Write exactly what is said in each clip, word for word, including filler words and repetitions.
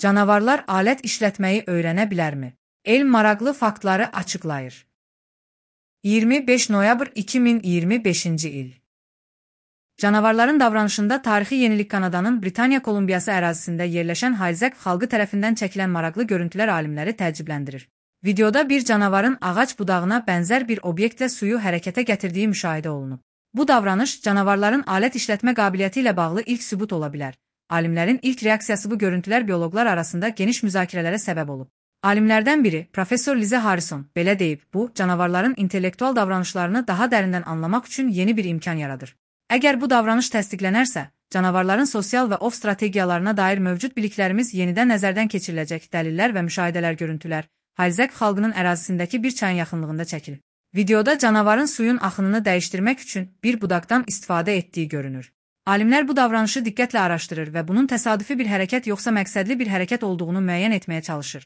Canavarlar alət işlətməyi öyrənə bilərmi? Elm maraqlı faktları açıqlayır. iyirmi beş noyabr iki min iyirmi beşinci il. Canavarların davranışında tarixi yenilik Kanadanın Britaniya Kolumbiyası ərazisində yerləşən Halzek xalqı tərəfindən çəkilən maraqlı görüntülər alimləri təəccübləndirir. Videoda bir canavarın ağac budağına bənzər bir obyektlə suyu hərəkətə gətirdiyi müşahidə olunub. Bu davranış canavarların alət işlətmə qabiliyyəti ilə bağlı ilk sübut ola bilər. Alimlərin ilk reaksiyası bu görüntülər bioloqlar arasında geniş müzakirələrə səbəb olub. Alimlərdən biri, Professor Lize Harrison, belə deyib, bu, canavarların intellektual davranışlarını daha dərindən anlamaq üçün yeni bir imkan yaradır. Əgər bu davranış təsdiqlənərsə, canavarların sosial və ov strategiyalarına dair mövcud biliklərimiz yenidən nəzərdən keçiriləcək. Dəlillər və müşahidələr görüntülər Halzek xalqının ərazisindəki bir çayın yaxınlığında çəkilir. Videoda canavarın suyun axınını dəyişdirmək üçün bir budaqdan istifadə etdiyi görünür. Alimlər bu davranışı diqqətlə araşdırır və bunun təsadüfi bir hərəkət yoxsa məqsədli bir hərəkət olduğunu müəyyən etməyə çalışır.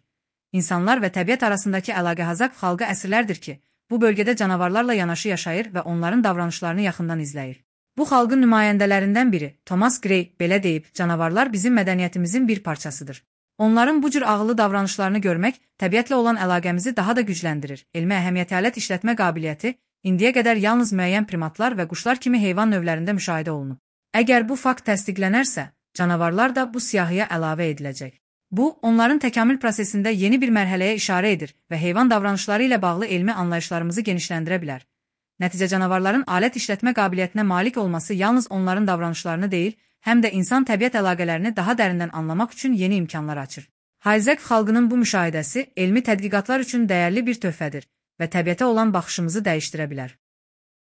İnsanlar və təbiət arasındakı əlaqə Halzek xalqı əsrlərdir ki, bu bölgədə canavarlarla yanaşı yaşayır və onların davranışlarını yaxından izləyir. Bu xalqın nümayəndələrindən biri, Thomas Gray, belə deyib, canavarlar bizim mədəniyyətimizin bir parçasıdır. Onların bu cür ağıllı davranışlarını görmək, təbiətlə olan əlaqəmizi daha da gücləndirir. Elmi əhəmiyyətli alət işlətmə qabiliyyəti indiyə qədər yalnız müəyyən primatlar və quşlar kimi heyvan növlərində müşahidə olunub. Əgər bu fakt təsdiqlənərsə, canavarlar da bu siyahıya əlavə ediləcək. Bu, onların təkamül prosesində yeni bir mərhələyə işarə edir və heyvan davranışları ilə bağlı elmi anlayışlarımızı genişləndirə bilər. Nəticə canavarların alət işlətmə qabiliyyətinə malik olması yalnız onların davranışlarını deyil, həm də insan-təbiət əlaqələrini daha dərindən anlamaq üçün yeni imkanlar açır. Halzek xalqının bu müşahidəsi elmi tədqiqatlar üçün dəyərli bir töhfədir və təbiətə olan baxışımızı dəyişdirə bilər.